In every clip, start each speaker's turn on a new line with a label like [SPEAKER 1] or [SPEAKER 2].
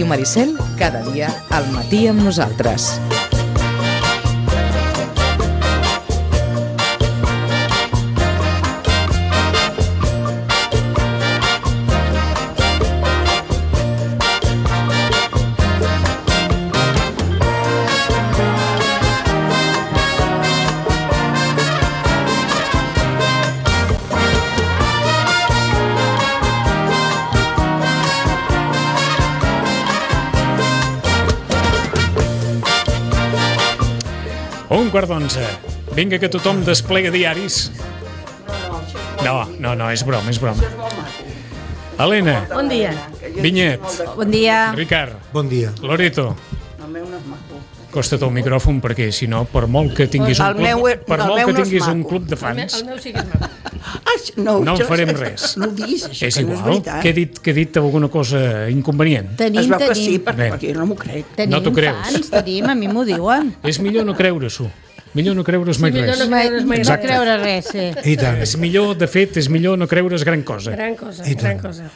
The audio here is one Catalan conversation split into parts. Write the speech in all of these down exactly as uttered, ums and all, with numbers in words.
[SPEAKER 1] Maricel, cada dia al matí amb nosaltres.
[SPEAKER 2] Un quart d'onze. Vinga, que tothom desplega diaris. No, no, no, és broma, és broma. Helena.
[SPEAKER 3] Bon dia.
[SPEAKER 2] Vinyet.
[SPEAKER 3] Bon dia.
[SPEAKER 2] Ricard.
[SPEAKER 4] Bon dia.
[SPEAKER 2] Loreto. Costa't el micròfon perquè, si no, per molt que tinguis un club,
[SPEAKER 5] meu,
[SPEAKER 2] per
[SPEAKER 5] no,
[SPEAKER 2] molt que
[SPEAKER 5] no
[SPEAKER 2] tinguis un
[SPEAKER 5] maco.
[SPEAKER 2] club de fans,
[SPEAKER 3] El meu sí que és maco.
[SPEAKER 5] Ah, no,
[SPEAKER 2] no en
[SPEAKER 5] jo,
[SPEAKER 2] farem res.
[SPEAKER 5] No ho diguis, això,
[SPEAKER 2] és
[SPEAKER 5] que no és
[SPEAKER 2] igual.
[SPEAKER 5] veritat.
[SPEAKER 2] Que he dit, que he dit alguna cosa inconvenient?
[SPEAKER 5] Es
[SPEAKER 6] Tenim,
[SPEAKER 5] veu que sí,
[SPEAKER 6] tenim.
[SPEAKER 5] perquè,
[SPEAKER 2] Bé.
[SPEAKER 5] perquè jo no m'ho crec.
[SPEAKER 6] Tenim
[SPEAKER 2] No t'ho creus.
[SPEAKER 6] fans, tenim, a mi m'ho diuen.
[SPEAKER 2] És millor no creure-s'ho. Millor no creure's mai
[SPEAKER 3] millor
[SPEAKER 2] res.
[SPEAKER 3] no creure's mai
[SPEAKER 6] No
[SPEAKER 2] Exacte.
[SPEAKER 6] creure res, sí.
[SPEAKER 4] I tant.
[SPEAKER 2] És millor, de fet, és millor no creure's gran cosa.
[SPEAKER 3] Gran cosa,
[SPEAKER 4] I
[SPEAKER 3] gran
[SPEAKER 4] tant.
[SPEAKER 3] cosa.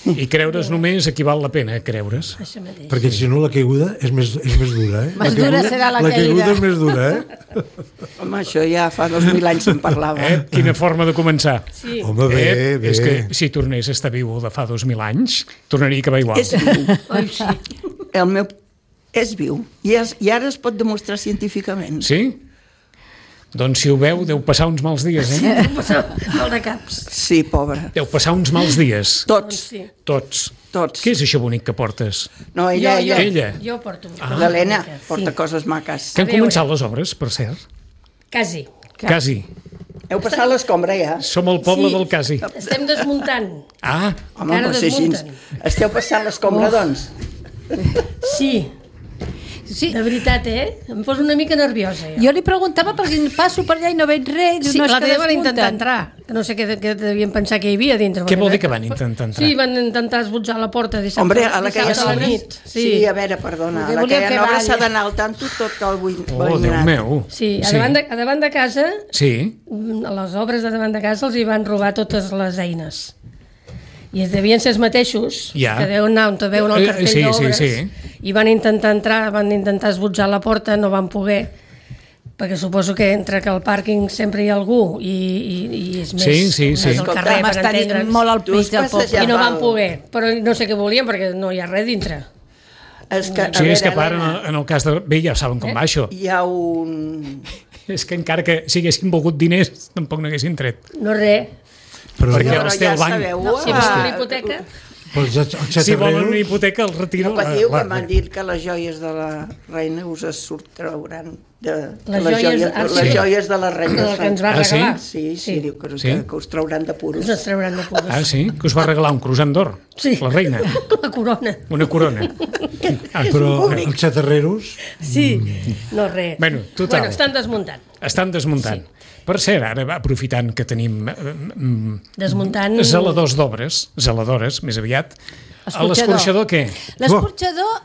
[SPEAKER 2] I creure's només equival la pena, creure's.
[SPEAKER 3] Això mateix.
[SPEAKER 4] Perquè si no la caiguda és més, és més dura, eh?
[SPEAKER 6] Més
[SPEAKER 4] la caiguda,
[SPEAKER 6] dura serà la
[SPEAKER 4] La caiguda
[SPEAKER 6] caiguda.
[SPEAKER 4] és més dura, eh?
[SPEAKER 5] Home, això ja fa dos mil anys se'n parlava.
[SPEAKER 2] Eh? Quina forma de començar.
[SPEAKER 3] Sí.
[SPEAKER 4] Home, bé,
[SPEAKER 2] eh?
[SPEAKER 4] bé.
[SPEAKER 2] És que si tornés a estar viu de fa dos mil anys, tornaria a acabar igual.
[SPEAKER 5] És viu.
[SPEAKER 3] Oi, sí.
[SPEAKER 5] El meu és viu. I, és, I ara es pot demostrar científicament.
[SPEAKER 2] Sí? Doncs si ho veu, deu passar uns mals dies, eh?
[SPEAKER 3] Mal de caps.
[SPEAKER 5] Sí, pobre.
[SPEAKER 2] Deu passar uns mals dies.
[SPEAKER 5] Tots,
[SPEAKER 3] Sí.
[SPEAKER 2] Tots.
[SPEAKER 5] tots.
[SPEAKER 2] Què és això bonic que portes?
[SPEAKER 5] No, ella,
[SPEAKER 3] jo,
[SPEAKER 5] ella.
[SPEAKER 2] Ella.
[SPEAKER 3] Jo porto.
[SPEAKER 2] Ah.
[SPEAKER 5] L'Helena
[SPEAKER 3] Sí.
[SPEAKER 5] porta coses maques.
[SPEAKER 2] Que han
[SPEAKER 3] veure.
[SPEAKER 2] començat les obres, per cert?
[SPEAKER 3] Quasi.
[SPEAKER 2] Quasi.
[SPEAKER 5] Heu passat l'escombra ja?
[SPEAKER 2] Som el poble
[SPEAKER 3] Sí.
[SPEAKER 2] del quasi.
[SPEAKER 3] Estem desmuntant.
[SPEAKER 2] Ah,
[SPEAKER 5] Home,
[SPEAKER 3] Encara
[SPEAKER 5] per ser així.
[SPEAKER 3] desmunten.
[SPEAKER 5] Esteu passant l'escombra, doncs?
[SPEAKER 3] Sí,
[SPEAKER 6] Sí,
[SPEAKER 3] de veritat, eh? Em poso una mica nerviosa, ja.
[SPEAKER 6] jo li preguntava perquè passo per allà i no veig res. Diu,
[SPEAKER 3] Sí,
[SPEAKER 6] no, és
[SPEAKER 3] l'altre
[SPEAKER 6] que
[SPEAKER 3] dia van intentar
[SPEAKER 6] desmunten.
[SPEAKER 3] entrar. Que no sé què, què devien pensar que hi havia dintre.
[SPEAKER 2] què vol dir que van intentar entrar?
[SPEAKER 3] Sí, van intentar esbotjar la porta dissabte,
[SPEAKER 5] Hombre, a la que ja
[SPEAKER 3] dissabte a la
[SPEAKER 5] sabes...
[SPEAKER 3] nit.
[SPEAKER 5] Sí.
[SPEAKER 3] Sí,
[SPEAKER 5] sí, a veure, perdona. A
[SPEAKER 6] Perquè
[SPEAKER 5] la que
[SPEAKER 6] volien
[SPEAKER 5] ja
[SPEAKER 6] fer
[SPEAKER 5] no
[SPEAKER 6] ball.
[SPEAKER 5] s'ha d'anar al tanto tot el buit.
[SPEAKER 2] Oh, Déu meu.
[SPEAKER 3] sí, a, davant de, a davant de casa,
[SPEAKER 2] Sí?
[SPEAKER 3] a les obres de davant de casa els hi van robar totes les eines. I devien ser els mateixos,
[SPEAKER 2] Ja.
[SPEAKER 3] que deuen anar on te veuen el
[SPEAKER 2] Eh,
[SPEAKER 3] cartell
[SPEAKER 2] sí, sí,
[SPEAKER 3] d'obres,
[SPEAKER 2] sí.
[SPEAKER 3] i van intentar entrar, van intentar esbotjar la porta, no van poder, perquè suposo que entre que al pàrquing sempre hi ha algú i, i, i és més,
[SPEAKER 2] Sí, sí, sí.
[SPEAKER 3] més al carrer, per
[SPEAKER 6] Estan
[SPEAKER 3] entendre'ns,
[SPEAKER 6] molt al
[SPEAKER 5] Tu
[SPEAKER 6] pit
[SPEAKER 5] has
[SPEAKER 6] del poble.
[SPEAKER 5] passejat
[SPEAKER 3] i no van
[SPEAKER 5] val.
[SPEAKER 3] poder, però no sé què volien perquè no hi ha res dintre.
[SPEAKER 5] És que, a
[SPEAKER 2] Sí, és que
[SPEAKER 5] veure,
[SPEAKER 2] a part, en el,
[SPEAKER 5] Helena,
[SPEAKER 2] en el cas de... Bé, ja saben com va això.
[SPEAKER 5] hi ha un...
[SPEAKER 2] És que encara que si haguessin volgut diners, tampoc n'haguessin tret.
[SPEAKER 3] No res.
[SPEAKER 4] Però,
[SPEAKER 2] Perquè
[SPEAKER 5] Però
[SPEAKER 2] els té
[SPEAKER 5] ja
[SPEAKER 2] el banc.
[SPEAKER 5] sabeu...
[SPEAKER 3] No, si
[SPEAKER 5] ah,
[SPEAKER 3] volen una hipoteca,
[SPEAKER 4] però els, els
[SPEAKER 2] Si volen una
[SPEAKER 4] xatarreros...
[SPEAKER 2] hipoteca, el retiro...
[SPEAKER 5] No patiu,
[SPEAKER 2] la-
[SPEAKER 5] que m'han dit que les joies de la reina us es sortrauran de,
[SPEAKER 3] Les
[SPEAKER 5] les,
[SPEAKER 3] joies-
[SPEAKER 5] joies,
[SPEAKER 3] ah, sí.
[SPEAKER 5] les joies de la reina.
[SPEAKER 3] el que ens va
[SPEAKER 2] Ah, sí?
[SPEAKER 3] regalar.
[SPEAKER 5] Sí, sí,
[SPEAKER 3] Sí.
[SPEAKER 5] diu que,
[SPEAKER 2] Sí?
[SPEAKER 5] que, que us trauran de puros.
[SPEAKER 3] ens els trauran de puros.
[SPEAKER 2] Ah, sí? Que us va regalar un croissant d'or?
[SPEAKER 3] Sí.
[SPEAKER 2] La reina.
[SPEAKER 3] La corona.
[SPEAKER 2] Una corona. Ah,
[SPEAKER 4] Però els xatarreros...
[SPEAKER 3] Sí, no res.
[SPEAKER 2] Bueno, total.
[SPEAKER 3] Bueno, estan desmuntant.
[SPEAKER 2] Estan desmuntant. Sí. Per cert, ara aprofitant que tenim eh, mm,
[SPEAKER 3] Desmuntant...
[SPEAKER 2] zeladors d'obres, zeladores, més aviat, a l'escorxador què?
[SPEAKER 6] L'escorxador,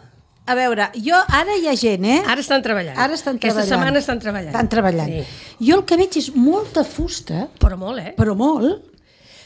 [SPEAKER 6] a veure, jo ara hi ha gent, eh?
[SPEAKER 3] Ara estan treballant.
[SPEAKER 6] Ara estan
[SPEAKER 3] Aquesta
[SPEAKER 6] treballant.
[SPEAKER 3] setmana estan treballant.
[SPEAKER 6] Estan treballant.
[SPEAKER 3] Sí.
[SPEAKER 6] Jo el que veig és molta fusta,
[SPEAKER 3] Però molt, eh?
[SPEAKER 6] però molt,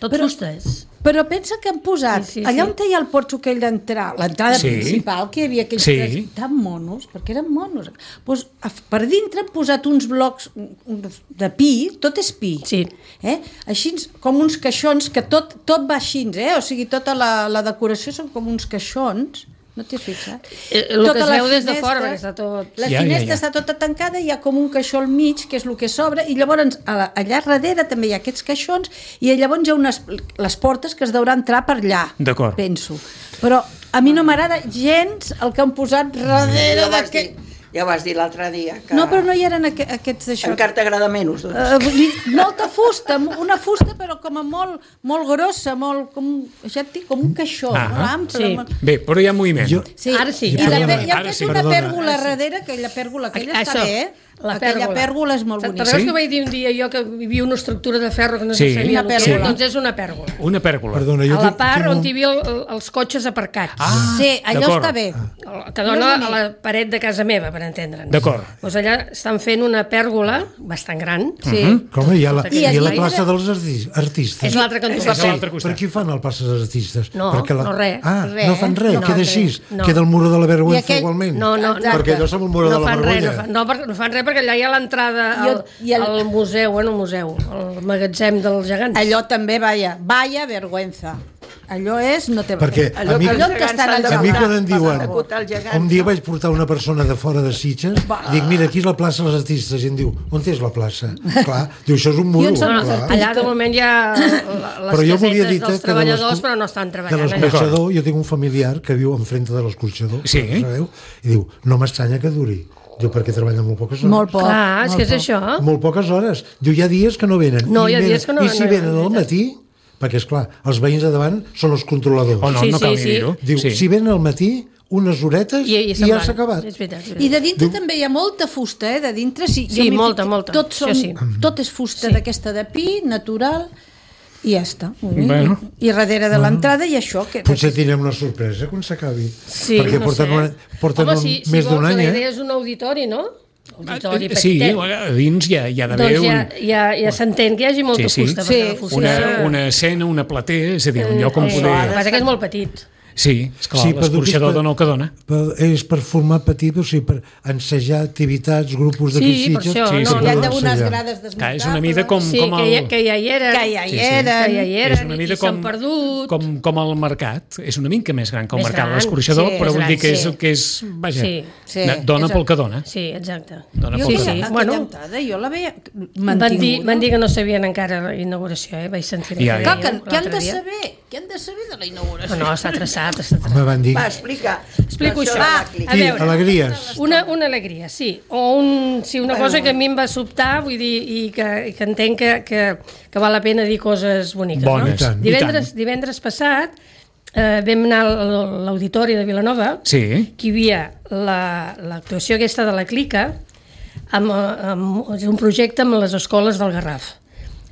[SPEAKER 3] Tot
[SPEAKER 6] però-
[SPEAKER 3] fustes.
[SPEAKER 6] però pensa que han posat,
[SPEAKER 3] Sí, sí,
[SPEAKER 6] allà
[SPEAKER 3] sí.
[SPEAKER 6] on hi ha el porxo aquell d'entrar, l'entrada
[SPEAKER 2] Sí.
[SPEAKER 6] principal, que hi havia aquells
[SPEAKER 2] Sí.
[SPEAKER 6] tres tan monos, perquè eren monos, doncs, a- per dintre han posat uns blocs uns de pi, tot és pi,
[SPEAKER 3] Sí.
[SPEAKER 6] eh? així com uns caixons, que tot, tot va així, eh? O sigui, tota la, la decoració són com uns caixons. No t'hi has fixat?
[SPEAKER 3] Eh, el que
[SPEAKER 6] Tota
[SPEAKER 3] es
[SPEAKER 6] la
[SPEAKER 3] veu des de
[SPEAKER 6] finestra-
[SPEAKER 3] fora, perquè està tot...
[SPEAKER 6] La
[SPEAKER 2] Ja, ja,
[SPEAKER 6] finestra
[SPEAKER 2] ja.
[SPEAKER 6] està tota tancada, hi ha com un caixó al mig, que és el que s'obre, i llavors a la- allà darrere també hi ha aquests caixons, i llavors hi ha unes, les portes que es deurà entrar per allà,
[SPEAKER 2] D'acord.
[SPEAKER 6] penso. Però a mi no m'agrada gens el que han posat darrere
[SPEAKER 5] Ja ho vas
[SPEAKER 6] d'aquest...
[SPEAKER 5] dir, ja ho vas dir l'altre dia. Que
[SPEAKER 6] No, però no hi eren aqu aquests d'això.
[SPEAKER 5] encara t'agrada menys, doncs.
[SPEAKER 6] Uh, vull dir, molta fusta, una fusta però com a molt, molt grossa, molt, com, ja et dic, com un caixó,
[SPEAKER 2] Ah,
[SPEAKER 6] molt ample.
[SPEAKER 3] sí.
[SPEAKER 6] Molt...
[SPEAKER 2] Bé, però hi ha moviment.
[SPEAKER 4] Jo,
[SPEAKER 6] Sí.
[SPEAKER 3] Ara sí.
[SPEAKER 6] I, la,
[SPEAKER 4] Perdona,
[SPEAKER 6] i ha
[SPEAKER 2] ara
[SPEAKER 6] fet
[SPEAKER 2] sí.
[SPEAKER 6] una
[SPEAKER 4] Perdona.
[SPEAKER 6] pèrgola darrere, que la pèrgola aquella
[SPEAKER 3] Això.
[SPEAKER 6] està bé, eh?
[SPEAKER 3] La
[SPEAKER 6] Aquella
[SPEAKER 3] pèrgola.
[SPEAKER 6] pèrgola és molt
[SPEAKER 3] Te'n
[SPEAKER 6] bonica.
[SPEAKER 3] recordes
[SPEAKER 2] Sí?
[SPEAKER 3] que vaig dir un dia jo que hi havia una estructura de ferro que no
[SPEAKER 2] Sí.
[SPEAKER 3] se sabia
[SPEAKER 6] Una
[SPEAKER 3] el que era?
[SPEAKER 6] pèrgola.
[SPEAKER 3] Doncs és una pèrgola.
[SPEAKER 2] Una pèrgola.
[SPEAKER 4] Perdona, jo
[SPEAKER 3] A la
[SPEAKER 4] tinc-
[SPEAKER 3] part
[SPEAKER 4] tinc
[SPEAKER 3] on
[SPEAKER 4] un-
[SPEAKER 3] hi havia el, els cotxes aparcats.
[SPEAKER 2] Ah,
[SPEAKER 6] Sí, allò
[SPEAKER 2] d'acord.
[SPEAKER 6] està bé.
[SPEAKER 3] El- que dona a la paret de casa meva, per entendre'ns.
[SPEAKER 2] D'acord.
[SPEAKER 3] Doncs allà estan fent una pèrgola bastant gran.
[SPEAKER 6] Sí.
[SPEAKER 4] Com hi ha la,
[SPEAKER 3] I
[SPEAKER 4] hi ha la
[SPEAKER 6] allà
[SPEAKER 4] plaça
[SPEAKER 6] era-
[SPEAKER 4] dels arti- artistes.
[SPEAKER 3] És l'altre cantó.
[SPEAKER 2] És l'altre
[SPEAKER 4] Per
[SPEAKER 2] costat.
[SPEAKER 4] qui fan el plaça dels artistes?
[SPEAKER 3] No,
[SPEAKER 4] Perquè la...
[SPEAKER 3] no res.
[SPEAKER 4] Ah,
[SPEAKER 6] Res.
[SPEAKER 4] no fan res,
[SPEAKER 3] No,
[SPEAKER 4] queda
[SPEAKER 3] res.
[SPEAKER 4] així.
[SPEAKER 3] No.
[SPEAKER 4] Queda el muro de la vergonya
[SPEAKER 6] I aquell-
[SPEAKER 4] igualment.
[SPEAKER 3] No, no, no.
[SPEAKER 4] Perquè allò som el muro
[SPEAKER 3] no
[SPEAKER 4] de la
[SPEAKER 3] fan res,
[SPEAKER 4] vergonya.
[SPEAKER 3] no, fan, no, per- no fan res perquè allà hi ha l'entrada
[SPEAKER 6] I
[SPEAKER 3] al,
[SPEAKER 6] el- i el-
[SPEAKER 3] al museu, bueno, el museu, el magatzem dels gegants.
[SPEAKER 6] Allò també, vaya, vaya vergüenza. Allò és... No té...
[SPEAKER 4] Perquè
[SPEAKER 5] Allò
[SPEAKER 4] a mi,
[SPEAKER 5] que
[SPEAKER 6] allò
[SPEAKER 5] els
[SPEAKER 6] que
[SPEAKER 5] gegants
[SPEAKER 6] estan
[SPEAKER 5] s'han
[SPEAKER 6] al
[SPEAKER 5] de
[SPEAKER 4] a mi
[SPEAKER 6] gegant.
[SPEAKER 4] quan em diuen...
[SPEAKER 5] acotar el gegant.
[SPEAKER 4] Un dia vaig portar una persona de fora de Sitges, dic, mira, aquí és la plaça dels artistes, i em diu, on és la plaça? Clar, diu, això és un muro.
[SPEAKER 6] I on són els
[SPEAKER 4] clar.
[SPEAKER 6] artistes?
[SPEAKER 3] Allà de moment hi ha la- les
[SPEAKER 4] Però jo volia
[SPEAKER 3] casetes
[SPEAKER 4] dir
[SPEAKER 3] dels
[SPEAKER 4] que de
[SPEAKER 3] treballadors,
[SPEAKER 4] l'escu-
[SPEAKER 3] però no estan
[SPEAKER 4] De
[SPEAKER 3] treballant allà.
[SPEAKER 4] l'escorxador, jo tinc un familiar que viu enfrente de l'escorxador,
[SPEAKER 2] Sí.
[SPEAKER 4] sabeu? I diu, no m'estranya que duri. Diu, perquè treballa molt poques hores.
[SPEAKER 6] Molt poc.
[SPEAKER 3] Clar, és
[SPEAKER 6] molt
[SPEAKER 3] que és
[SPEAKER 6] poc.
[SPEAKER 3] això.
[SPEAKER 4] Molt poques hores. Diu, hi ha dies que no venen.
[SPEAKER 3] No,
[SPEAKER 4] I
[SPEAKER 3] hi ha
[SPEAKER 4] venen.
[SPEAKER 3] dies que no-
[SPEAKER 4] I si
[SPEAKER 3] no
[SPEAKER 4] venen
[SPEAKER 3] venen,
[SPEAKER 4] al matí, perquè, és clar, els veïns de davant són els controladors.
[SPEAKER 2] O no,
[SPEAKER 3] Sí,
[SPEAKER 2] no
[SPEAKER 3] sí,
[SPEAKER 2] cal
[SPEAKER 3] sí.
[SPEAKER 2] ni dir-ho.
[SPEAKER 4] Diu,
[SPEAKER 2] Sí.
[SPEAKER 4] si venen al matí, unes horetes
[SPEAKER 3] I, i,
[SPEAKER 4] i,
[SPEAKER 3] se'n
[SPEAKER 4] ja
[SPEAKER 3] van.
[SPEAKER 4] s'ha acabat.
[SPEAKER 3] És veritat, és
[SPEAKER 6] I
[SPEAKER 3] veritat.
[SPEAKER 6] de dintre també hi ha molta fusta, eh? De dintre, sí,
[SPEAKER 3] Sí,
[SPEAKER 6] jo m'hi
[SPEAKER 3] molta,
[SPEAKER 6] fico-
[SPEAKER 3] molta.
[SPEAKER 6] Tot, són,
[SPEAKER 3] Això sí.
[SPEAKER 6] tot és fusta
[SPEAKER 3] Sí.
[SPEAKER 6] d'aquesta de pi, natural, i ja està. Molt bé.
[SPEAKER 2] Bueno.
[SPEAKER 6] I darrere de l'entrada i això... Que...
[SPEAKER 4] Potser tindrem una sorpresa quan s'acabi.
[SPEAKER 3] Sí,
[SPEAKER 4] perquè
[SPEAKER 3] no
[SPEAKER 4] porten,
[SPEAKER 3] sé.
[SPEAKER 4] una, porten
[SPEAKER 3] Home,
[SPEAKER 4] un,
[SPEAKER 3] si, si
[SPEAKER 4] més
[SPEAKER 3] vols,
[SPEAKER 4] d'un any,
[SPEAKER 3] la
[SPEAKER 4] eh?
[SPEAKER 3] idea és un auditori, no? Auditori
[SPEAKER 2] Eh, Sí,
[SPEAKER 3] petitet.
[SPEAKER 2] a dins hi ha, hi ha d'haver
[SPEAKER 3] Doncs ja,
[SPEAKER 2] un,
[SPEAKER 3] ja, ja s'entén que hi hagi molta
[SPEAKER 2] Sí, sí.
[SPEAKER 3] fusta.
[SPEAKER 6] Sí,
[SPEAKER 3] perquè la fusta...
[SPEAKER 2] una, una escena, una platea, és a dir, un lloc on
[SPEAKER 3] Eh,
[SPEAKER 2] poder...
[SPEAKER 3] El que passa que és molt petit.
[SPEAKER 2] Sí, esclar,
[SPEAKER 4] Sí,
[SPEAKER 2] sí,
[SPEAKER 4] però
[SPEAKER 2] l'escorxador
[SPEAKER 4] dic que-
[SPEAKER 2] dona el que dona.
[SPEAKER 4] Per, és per formar petit, o sigui, per ensejar activitats, grupos d'aquí
[SPEAKER 3] Sí, per
[SPEAKER 4] Sitges.
[SPEAKER 3] això,
[SPEAKER 2] Sí,
[SPEAKER 3] no,
[SPEAKER 2] sí,
[SPEAKER 6] Hi ha
[SPEAKER 3] no,
[SPEAKER 6] d'unes
[SPEAKER 4] ensejar.
[SPEAKER 6] grades desmuntables.
[SPEAKER 2] Clar, és una mida com,
[SPEAKER 3] Sí,
[SPEAKER 2] com
[SPEAKER 3] que,
[SPEAKER 2] el...
[SPEAKER 3] ja, que ja hi eren.
[SPEAKER 6] Que ja hi
[SPEAKER 2] Sí, sí.
[SPEAKER 6] eren.
[SPEAKER 3] Que ja hi
[SPEAKER 2] és
[SPEAKER 3] eren
[SPEAKER 2] una
[SPEAKER 3] i
[SPEAKER 2] mida
[SPEAKER 3] s'han
[SPEAKER 2] com,
[SPEAKER 3] perdut.
[SPEAKER 2] com, com el mercat, és una mica més gran que el
[SPEAKER 3] Més
[SPEAKER 2] mercat,
[SPEAKER 3] gran,
[SPEAKER 2] l'escorxador,
[SPEAKER 6] sí,
[SPEAKER 2] però
[SPEAKER 3] més
[SPEAKER 2] vull
[SPEAKER 3] gran,
[SPEAKER 2] dir que és,
[SPEAKER 3] sí.
[SPEAKER 2] que és vaja,
[SPEAKER 3] Sí,
[SPEAKER 6] sí,
[SPEAKER 2] dona
[SPEAKER 6] és
[SPEAKER 2] pel
[SPEAKER 6] el-
[SPEAKER 2] que dona.
[SPEAKER 3] Sí, exacte.
[SPEAKER 2] Dona
[SPEAKER 6] Jo
[SPEAKER 2] pel
[SPEAKER 6] sí,
[SPEAKER 2] que
[SPEAKER 6] aquella
[SPEAKER 2] dona.
[SPEAKER 3] Bueno.
[SPEAKER 6] entrada, jo la veia
[SPEAKER 3] Van dir,
[SPEAKER 6] mantinguda.
[SPEAKER 3] van dir que no sabien encara la inauguració, eh? Vaig sentir
[SPEAKER 2] Ja,
[SPEAKER 3] que
[SPEAKER 2] ja.
[SPEAKER 6] Clar, que,
[SPEAKER 3] deien
[SPEAKER 6] què han
[SPEAKER 3] l'altre
[SPEAKER 6] de
[SPEAKER 3] dia.
[SPEAKER 6] saber? Què han de saber de la inauguració?
[SPEAKER 3] No, no, està traçat, està traçat.
[SPEAKER 4] Me van dir...
[SPEAKER 5] Va, explica.
[SPEAKER 3] Explico
[SPEAKER 5] Això
[SPEAKER 3] això.
[SPEAKER 5] de
[SPEAKER 3] Va,
[SPEAKER 5] la clica.
[SPEAKER 3] a
[SPEAKER 4] Sí,
[SPEAKER 3] veure.
[SPEAKER 4] alegries.
[SPEAKER 3] Una, una alegria, sí. O un, sí, una
[SPEAKER 5] Bueno.
[SPEAKER 3] cosa que a mi em va sobtar, vull dir, i que, i que entenc que, que, que val la pena dir coses boniques.
[SPEAKER 2] Bones,
[SPEAKER 3] no?
[SPEAKER 2] i tant.
[SPEAKER 3] Divendres, divendres passat eh, vam anar a l'auditori de Vilanova,
[SPEAKER 2] Sí,
[SPEAKER 3] que hi havia la- l'actuació aquesta de la Clica, amb, amb, és un projecte amb les escoles del Garraf.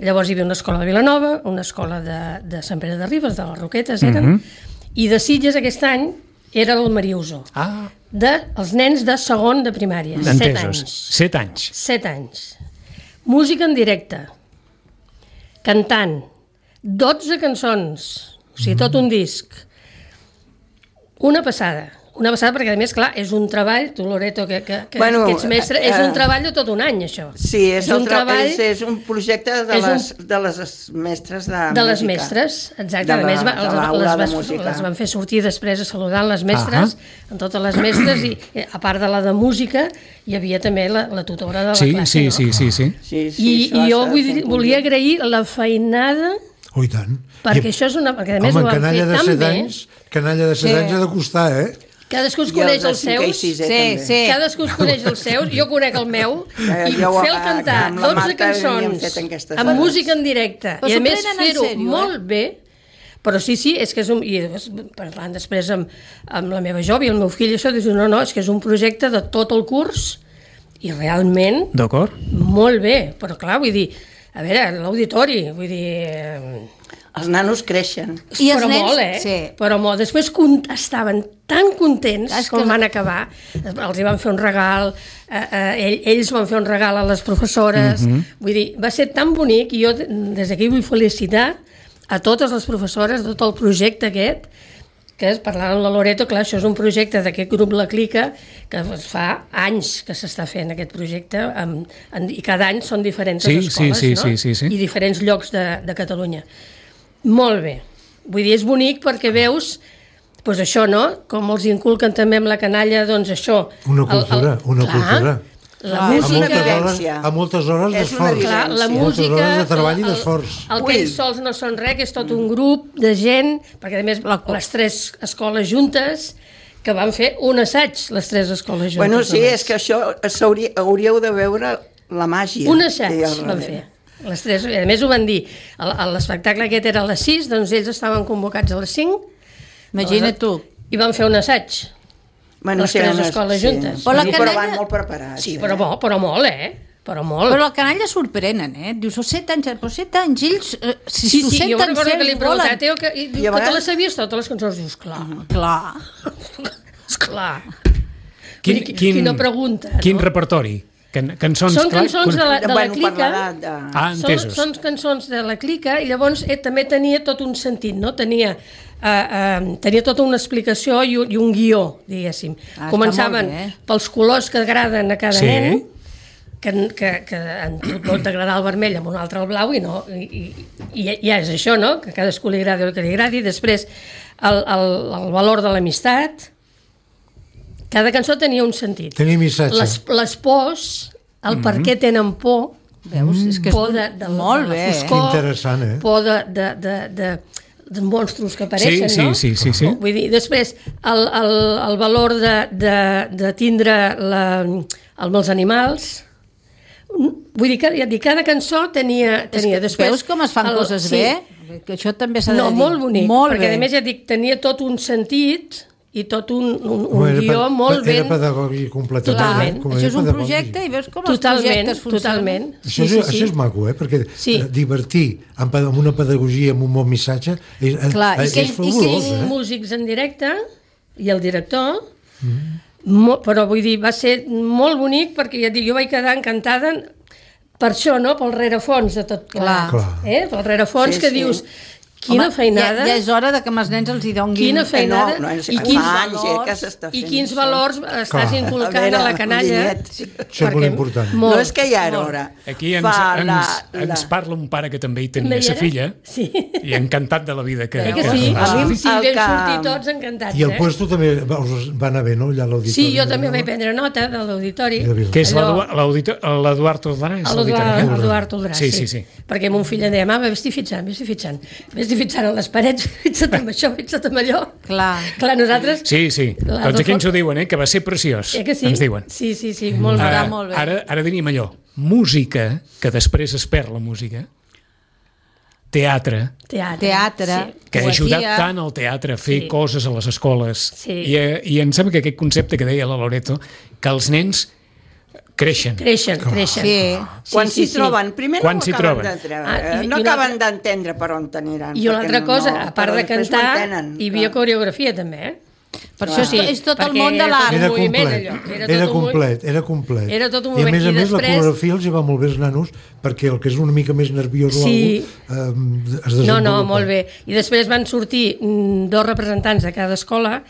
[SPEAKER 3] Llavors hi havia una escola de Vilanova, una escola de, de Sant Pere de Ribes, de les Roquetes eren,
[SPEAKER 2] Mhm.
[SPEAKER 3] i de Sitges aquest any era el Mariuso,
[SPEAKER 2] ah,
[SPEAKER 3] de els nens de segon de primària, set
[SPEAKER 2] entesos.
[SPEAKER 3] anys.
[SPEAKER 2] Set anys.
[SPEAKER 3] Set anys. Música en directe, cantant, dotze cançons, o sigui, tot un disc. Una passada. Una passada perquè, a més, clar, és un treball, tu, Loreto, que, que, que,
[SPEAKER 5] Bueno,
[SPEAKER 3] que ets mestre, és
[SPEAKER 5] eh,
[SPEAKER 3] un treball de tot un any, això.
[SPEAKER 5] Sí, és,
[SPEAKER 3] un
[SPEAKER 5] un, tra
[SPEAKER 3] treball
[SPEAKER 5] és, és un projecte de,
[SPEAKER 3] és un-
[SPEAKER 5] les, de les mestres de,
[SPEAKER 3] de les
[SPEAKER 5] música.
[SPEAKER 3] mestres, exacte.
[SPEAKER 5] De
[SPEAKER 3] a
[SPEAKER 5] la-
[SPEAKER 3] més, va,
[SPEAKER 5] de
[SPEAKER 3] les,
[SPEAKER 5] l'aula
[SPEAKER 3] les,
[SPEAKER 5] de
[SPEAKER 3] vas-
[SPEAKER 5] música.
[SPEAKER 3] les van fer sortir després a saludar les mestres, amb totes les mestres, i eh, a part de la de música, hi havia també la, la tutora de la
[SPEAKER 2] Sí,
[SPEAKER 3] classe,
[SPEAKER 2] sí,
[SPEAKER 3] no?
[SPEAKER 2] sí, sí, sí.
[SPEAKER 5] Sí,
[SPEAKER 3] I,
[SPEAKER 5] sí, això
[SPEAKER 3] i jo
[SPEAKER 5] s'ha de
[SPEAKER 3] vull,
[SPEAKER 5] fer
[SPEAKER 3] dir-
[SPEAKER 5] en
[SPEAKER 3] volia
[SPEAKER 5] conjunt.
[SPEAKER 3] agrair la feinada,
[SPEAKER 4] Oh, i tant.
[SPEAKER 3] perquè
[SPEAKER 4] I,
[SPEAKER 3] això és una... Perquè a més
[SPEAKER 4] home,
[SPEAKER 3] ho van fer
[SPEAKER 4] canalla de
[SPEAKER 3] tan
[SPEAKER 4] set
[SPEAKER 3] bé,
[SPEAKER 4] anys, canalla de set
[SPEAKER 6] Sí.
[SPEAKER 4] anys ha de costar, eh?
[SPEAKER 3] cadascú es
[SPEAKER 5] I
[SPEAKER 3] coneix
[SPEAKER 5] els de
[SPEAKER 3] els
[SPEAKER 5] cinquè i
[SPEAKER 3] seus,
[SPEAKER 5] sisè,
[SPEAKER 6] Sí,
[SPEAKER 5] també.
[SPEAKER 6] sí.
[SPEAKER 3] cadascú es coneix els seus, jo conec el meu,
[SPEAKER 5] Eh,
[SPEAKER 3] i
[SPEAKER 5] jo,
[SPEAKER 3] fer-el
[SPEAKER 5] eh,
[SPEAKER 3] cantar
[SPEAKER 5] amb la
[SPEAKER 3] dotze
[SPEAKER 5] Marta havíem
[SPEAKER 3] cançons
[SPEAKER 5] fet aquestes
[SPEAKER 3] amb
[SPEAKER 5] hores.
[SPEAKER 3] música en directe,
[SPEAKER 6] Però
[SPEAKER 3] i a
[SPEAKER 6] s'ho
[SPEAKER 3] més
[SPEAKER 6] prenen en
[SPEAKER 3] fer-ho
[SPEAKER 6] sèrio, eh?
[SPEAKER 3] molt bé, però sí, sí, és que és un... I després, parlant després amb, amb la meva jove i el meu fill, això, dius, no, no, és que és un projecte de tot el curs, i realment
[SPEAKER 2] D'acord?
[SPEAKER 3] molt bé, però clar, vull dir, a veure, l'auditori, vull dir... eh,
[SPEAKER 5] Els nanos creixen.
[SPEAKER 6] I els
[SPEAKER 3] però
[SPEAKER 6] nens-
[SPEAKER 3] molt, eh?
[SPEAKER 6] sí.
[SPEAKER 3] Però molt. Després con- estaven tan contents
[SPEAKER 6] És que-
[SPEAKER 3] com van acabar. Els hi van fer un regal, eh, eh, ell, ells van fer un regal a les professores.
[SPEAKER 2] Mhm.
[SPEAKER 3] Vull dir, va ser tan bonic i jo des d'aquí vull felicitar a totes les professores, tot el projecte aquest, que és, parlant amb la Loreto, clar, això és un projecte d'aquest grup La Clica, que fa anys que s'està fent aquest projecte, amb, en, i cada any són diferents
[SPEAKER 2] Sí,
[SPEAKER 3] escoles,
[SPEAKER 2] sí, sí,
[SPEAKER 3] no?
[SPEAKER 2] sí, sí, sí.
[SPEAKER 3] I diferents llocs de, de Catalunya. Molt bé. Vull dir, és bonic perquè veus, doncs això, no? Com els inculquen també amb la canalla, doncs això...
[SPEAKER 4] Una cultura, una
[SPEAKER 3] clar,
[SPEAKER 4] cultura.
[SPEAKER 3] La
[SPEAKER 5] Clar,
[SPEAKER 4] A
[SPEAKER 5] és una
[SPEAKER 3] música...
[SPEAKER 4] moltes hores,
[SPEAKER 5] vivència.
[SPEAKER 4] a moltes hores
[SPEAKER 5] És una
[SPEAKER 4] d'esforç.
[SPEAKER 3] Clar, la
[SPEAKER 5] Sí.
[SPEAKER 3] música...
[SPEAKER 4] Moltes hores de treball i
[SPEAKER 3] el-
[SPEAKER 4] d'esforç.
[SPEAKER 3] El, el que ells sols no són res, que és tot un grup de gent, perquè a més les tres escoles juntes, que van fer un assaig, les tres escoles juntes.
[SPEAKER 5] Bueno, sí,
[SPEAKER 3] només.
[SPEAKER 5] és que això s'hauria- hauríeu de veure la màgia.
[SPEAKER 3] Un assaig
[SPEAKER 5] que hi ha al
[SPEAKER 3] van
[SPEAKER 5] darrere.
[SPEAKER 3] fer. Les tres, a més ho van dir, el- el- l'espectacle aquest era a les sis, doncs ells estaven convocats a les cinc,
[SPEAKER 6] Imagina't tu.
[SPEAKER 3] i van fer un assaig.
[SPEAKER 5] Bueno,
[SPEAKER 3] les tres
[SPEAKER 5] unes-
[SPEAKER 3] escoles
[SPEAKER 5] sí.
[SPEAKER 3] juntes.
[SPEAKER 6] Però la
[SPEAKER 5] Sí,
[SPEAKER 6] canalla-
[SPEAKER 5] però van molt preparats.
[SPEAKER 3] Sí,
[SPEAKER 5] eh?
[SPEAKER 3] però, molt, però molt, eh? Però molt.
[SPEAKER 6] Però la canalla sorprenen, eh? Dius, oh, set anys, però set anys, ells, eh, si
[SPEAKER 3] Sí,
[SPEAKER 6] s'ho
[SPEAKER 3] sí, jo
[SPEAKER 6] senten
[SPEAKER 3] recordo que li he
[SPEAKER 6] certs,
[SPEAKER 3] preguntat,
[SPEAKER 6] volen.
[SPEAKER 3] Teo, que, i, diu
[SPEAKER 5] I a
[SPEAKER 3] que te
[SPEAKER 5] vegades-
[SPEAKER 3] les sabies totes les cançons, dius, clar,
[SPEAKER 6] Clar.
[SPEAKER 3] esclar.
[SPEAKER 2] Quin,
[SPEAKER 3] Vull dir, quina pregunta,
[SPEAKER 2] Quin
[SPEAKER 3] no?
[SPEAKER 2] repertori? Can, cançons,
[SPEAKER 3] Són
[SPEAKER 2] clar,
[SPEAKER 3] cançons de la, de la
[SPEAKER 5] Bueno, per
[SPEAKER 3] clica,
[SPEAKER 5] l'edat de...
[SPEAKER 2] Ah,
[SPEAKER 3] són,
[SPEAKER 2] entesos.
[SPEAKER 3] són cançons de la clica i llavors eh, també tenia tot un sentit, no? Tenia, eh, eh, tenia tota una explicació i un, i un guió, diguéssim.
[SPEAKER 6] Ah, està
[SPEAKER 3] Començaven
[SPEAKER 6] molt bé.
[SPEAKER 3] pels colors que agraden a cada
[SPEAKER 2] Sí.
[SPEAKER 3] nen, que, que, que en tu pot agradar el vermell amb un altre el blau i no, i, i, i ja és això, no? Que a cadascú li agradi el que li agradi. Després el, el, el valor de l'amistat. Cada cançó tenia un sentit.
[SPEAKER 4] Tenia missatge.
[SPEAKER 3] Les, les pors, el
[SPEAKER 2] Mhm.
[SPEAKER 3] per què tenen por,
[SPEAKER 6] Veus? És que és
[SPEAKER 3] por de, de,
[SPEAKER 6] molt
[SPEAKER 3] de la
[SPEAKER 6] bé, eh?
[SPEAKER 3] foscor,
[SPEAKER 4] Que interessant, eh?
[SPEAKER 3] por de, de, de, de, de monstros que apareixen,
[SPEAKER 2] Sí, sí,
[SPEAKER 3] no?
[SPEAKER 2] sí, sí, sí.
[SPEAKER 3] Vull dir, després, el, el, el valor de, de, de tindre la, el, amb els animals. Vull dir, que, ja et dic, cada cançó tenia... tenia
[SPEAKER 6] És que
[SPEAKER 3] després,
[SPEAKER 6] veus com es fan
[SPEAKER 3] el-
[SPEAKER 6] coses
[SPEAKER 3] sí.
[SPEAKER 6] bé? Que això també s'ha de
[SPEAKER 3] No,
[SPEAKER 6] dir.
[SPEAKER 3] molt bonic,
[SPEAKER 6] molt
[SPEAKER 3] perquè
[SPEAKER 6] bé.
[SPEAKER 3] a més ja et dic, tenia tot un sentit i tot un, un, un
[SPEAKER 4] No, era
[SPEAKER 3] guió
[SPEAKER 4] pe-
[SPEAKER 3] molt
[SPEAKER 4] Era
[SPEAKER 3] ben...
[SPEAKER 4] pedagògic completament.
[SPEAKER 3] Totalment.
[SPEAKER 4] eh? Com
[SPEAKER 6] Això
[SPEAKER 4] era
[SPEAKER 6] és un
[SPEAKER 4] pedagògic.
[SPEAKER 6] projecte i veus com els
[SPEAKER 3] Totalment,
[SPEAKER 6] projectes funcionen.
[SPEAKER 3] totalment.
[SPEAKER 4] Això, és, això és maco, eh? Perquè
[SPEAKER 3] Sí.
[SPEAKER 4] eh, divertir amb, amb una pedagogia, amb un bon missatge, és,
[SPEAKER 6] Clar, i
[SPEAKER 4] és,
[SPEAKER 6] que-
[SPEAKER 4] és
[SPEAKER 6] i que-
[SPEAKER 4] fabulós,
[SPEAKER 3] Cinc
[SPEAKER 4] eh?
[SPEAKER 3] músics en directe i el director, mo, però vull dir, va ser molt bonic perquè ja et dic, jo vaig quedar encantada per això, no? Pel rerefons de tot
[SPEAKER 6] Clar.
[SPEAKER 4] Clar.
[SPEAKER 3] Eh? Pel rerefons
[SPEAKER 5] Sí,
[SPEAKER 3] que
[SPEAKER 5] sí.
[SPEAKER 3] dius, quina
[SPEAKER 6] Home,
[SPEAKER 3] feinada,
[SPEAKER 6] Ja, ja és hora de que amb els nens els hi donguin...
[SPEAKER 3] quina feinada,
[SPEAKER 5] no, no, és-
[SPEAKER 3] i,
[SPEAKER 5] fa
[SPEAKER 3] quins
[SPEAKER 5] anys, eh,
[SPEAKER 3] valors,
[SPEAKER 5] que s'està
[SPEAKER 3] i
[SPEAKER 5] fent
[SPEAKER 3] quins
[SPEAKER 5] això.
[SPEAKER 3] valors estàs
[SPEAKER 4] Clar.
[SPEAKER 3] inculcant
[SPEAKER 5] A
[SPEAKER 3] a,
[SPEAKER 5] veure,
[SPEAKER 3] la canalla.
[SPEAKER 5] Mollet.
[SPEAKER 4] Això és molt
[SPEAKER 3] perquè
[SPEAKER 4] important.
[SPEAKER 5] No és que ja era
[SPEAKER 3] molt.
[SPEAKER 5] hora.
[SPEAKER 2] Aquí ens,
[SPEAKER 5] Fa
[SPEAKER 2] ens,
[SPEAKER 5] la-
[SPEAKER 2] ens
[SPEAKER 5] la-
[SPEAKER 2] parla un pare que també hi
[SPEAKER 3] També
[SPEAKER 2] tenia
[SPEAKER 3] hi
[SPEAKER 2] sa
[SPEAKER 3] era?
[SPEAKER 2] filla
[SPEAKER 3] Sí.
[SPEAKER 2] i encantat de la vida que...
[SPEAKER 3] Eh que sí?
[SPEAKER 5] A mi
[SPEAKER 3] A
[SPEAKER 5] em-
[SPEAKER 3] mi, sí,
[SPEAKER 5] el
[SPEAKER 3] vam
[SPEAKER 5] que-
[SPEAKER 3] sortir tots encantats.
[SPEAKER 4] I el
[SPEAKER 3] eh?
[SPEAKER 4] puesto també us va anar bé, no? Allà a l'auditori.
[SPEAKER 3] Sí, jo també vaig prendre nota de l'auditori.
[SPEAKER 4] De veritat.
[SPEAKER 2] Que és
[SPEAKER 3] Allò-
[SPEAKER 2] l'Eduard l'Eduard Ordrà? és l'auditori?
[SPEAKER 3] L'Eduard Oldrà,
[SPEAKER 2] Sí, sí, sí.
[SPEAKER 3] Perquè mon fill em deia, mama, vés-t'hi fixant, vés-t'hi fixant. Vés-t'hi fixant a les parets, fixa't amb això, fixa't amb allò.
[SPEAKER 6] Clar.
[SPEAKER 3] Clar, nosaltres...
[SPEAKER 2] Sí, sí.
[SPEAKER 3] La-
[SPEAKER 2] Doncs aquí
[SPEAKER 3] la-
[SPEAKER 2] ens ho diuen, eh? Que va ser preciós.
[SPEAKER 3] Eh que sí?
[SPEAKER 2] Ens diuen.
[SPEAKER 3] Sí, sí, sí, molt
[SPEAKER 6] Ah,
[SPEAKER 3] bé.
[SPEAKER 6] Està molt bé.
[SPEAKER 2] Ara, ara diríem allò, música, que després es perd la música, teatre,
[SPEAKER 3] Teatre.
[SPEAKER 6] Teatre.
[SPEAKER 2] que ha
[SPEAKER 6] Poesia.
[SPEAKER 2] ajudat tant al teatre a fer
[SPEAKER 3] Sí.
[SPEAKER 2] coses a les escoles.
[SPEAKER 3] Sí.
[SPEAKER 2] I, eh, I em sembla que aquest concepte que deia la Loreto, que els nens creixen.
[SPEAKER 3] Creixen, creixen.
[SPEAKER 6] Sí.
[SPEAKER 5] Quan
[SPEAKER 3] sí,
[SPEAKER 5] s'hi
[SPEAKER 3] sí.
[SPEAKER 5] troben, primer
[SPEAKER 2] Quan
[SPEAKER 5] no
[SPEAKER 2] s'hi
[SPEAKER 5] ho acaben
[SPEAKER 2] troben.
[SPEAKER 5] d'entendre,
[SPEAKER 3] Ah, i-
[SPEAKER 5] no
[SPEAKER 3] i una
[SPEAKER 5] acaben
[SPEAKER 3] altra-
[SPEAKER 5] d'entendre per on t'aniran.
[SPEAKER 3] I una
[SPEAKER 5] perquè
[SPEAKER 3] altra
[SPEAKER 5] no-
[SPEAKER 3] cosa,
[SPEAKER 5] no,
[SPEAKER 3] a part
[SPEAKER 5] però
[SPEAKER 3] de
[SPEAKER 5] després ho
[SPEAKER 3] cantar,
[SPEAKER 5] entenen,
[SPEAKER 3] hi havia
[SPEAKER 5] clar.
[SPEAKER 3] coreografia també, eh?
[SPEAKER 6] Per això és,
[SPEAKER 3] Sí,
[SPEAKER 6] és tot el
[SPEAKER 3] perquè
[SPEAKER 6] món de
[SPEAKER 3] era
[SPEAKER 6] l'art.
[SPEAKER 3] tot
[SPEAKER 4] Era
[SPEAKER 3] un moviment,
[SPEAKER 4] complet,
[SPEAKER 3] allò. Era
[SPEAKER 4] era,
[SPEAKER 3] tot un
[SPEAKER 4] complet, era complet.
[SPEAKER 3] Era tot un
[SPEAKER 4] I a
[SPEAKER 3] moviment.
[SPEAKER 4] més a
[SPEAKER 3] I
[SPEAKER 4] més
[SPEAKER 3] després-
[SPEAKER 4] la coreografia els hi va molt bé als nanos perquè el que és una mica més nerviós
[SPEAKER 3] Sí.
[SPEAKER 4] o alguna cosa eh, es
[SPEAKER 3] No,
[SPEAKER 4] desenvolupa.
[SPEAKER 3] no, molt bé. I després van sortir mm, dos representants de cada escola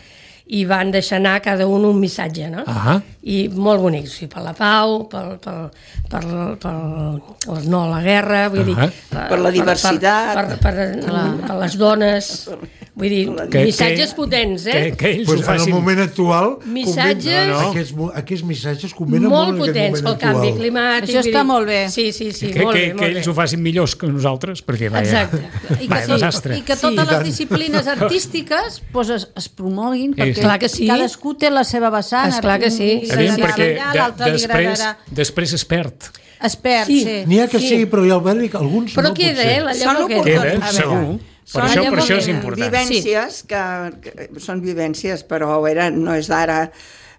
[SPEAKER 3] i van deixar anar cada un un missatge, no?
[SPEAKER 2] Ah.
[SPEAKER 3] I molt bonic, sí, per la pau, per, per, per, per el no a la guerra, vull dir...
[SPEAKER 2] Ah.
[SPEAKER 5] Per la diversitat.
[SPEAKER 3] Per, per, per, per les dones, vull dir,
[SPEAKER 2] Que-
[SPEAKER 3] missatges
[SPEAKER 2] que-
[SPEAKER 3] potents, eh?
[SPEAKER 2] Que, que ells
[SPEAKER 4] Pues
[SPEAKER 2] ho
[SPEAKER 4] en el
[SPEAKER 2] facin.
[SPEAKER 4] moment actual
[SPEAKER 3] Missatges-
[SPEAKER 4] conven-
[SPEAKER 2] No, no.
[SPEAKER 4] Aquests, mo- aquests missatges convenen
[SPEAKER 3] Molt
[SPEAKER 4] molt en aquest
[SPEAKER 3] potents pel
[SPEAKER 4] moment
[SPEAKER 3] canvi
[SPEAKER 4] actual.
[SPEAKER 3] climàtic.
[SPEAKER 6] Això
[SPEAKER 3] vull
[SPEAKER 6] està
[SPEAKER 3] dir-
[SPEAKER 6] molt bé.
[SPEAKER 3] Sí, sí, sí,
[SPEAKER 2] que,
[SPEAKER 3] molt
[SPEAKER 2] que,
[SPEAKER 3] bé,
[SPEAKER 2] que
[SPEAKER 3] molt
[SPEAKER 2] ells
[SPEAKER 3] bé.
[SPEAKER 2] ho facin millors que nosaltres, perquè vaya,
[SPEAKER 3] Exacte.
[SPEAKER 6] I que,
[SPEAKER 2] vaya
[SPEAKER 6] sí,
[SPEAKER 2] desastre.
[SPEAKER 6] I que
[SPEAKER 3] Sí.
[SPEAKER 6] totes
[SPEAKER 4] I tant.
[SPEAKER 6] les disciplines artístiques pues, es, es promoguin, perquè
[SPEAKER 2] Sí.
[SPEAKER 3] Clar que sí.
[SPEAKER 6] cadascú té la seva vessant.
[SPEAKER 3] Esclar que sí.
[SPEAKER 6] Un li
[SPEAKER 2] Aviam,
[SPEAKER 6] agradarà
[SPEAKER 2] perquè
[SPEAKER 6] allà,
[SPEAKER 2] de,
[SPEAKER 6] l'altre li
[SPEAKER 2] després,
[SPEAKER 6] agradarà.
[SPEAKER 2] després es perd.
[SPEAKER 6] Es perd,
[SPEAKER 3] Sí.
[SPEAKER 6] sí.
[SPEAKER 4] N'hi ha que
[SPEAKER 3] Sí.
[SPEAKER 4] sí, però hi ha Bèl·lic, alguns
[SPEAKER 3] Però
[SPEAKER 4] no,
[SPEAKER 3] queda,
[SPEAKER 4] potser.
[SPEAKER 3] eh? La
[SPEAKER 5] Són
[SPEAKER 3] llavor queda.
[SPEAKER 2] Queda,
[SPEAKER 5] A veure,
[SPEAKER 2] segur. Per
[SPEAKER 5] Són
[SPEAKER 2] això, per això és
[SPEAKER 3] eh,
[SPEAKER 2] important.
[SPEAKER 5] vivències que, que són vivències, però era, no és d'ara.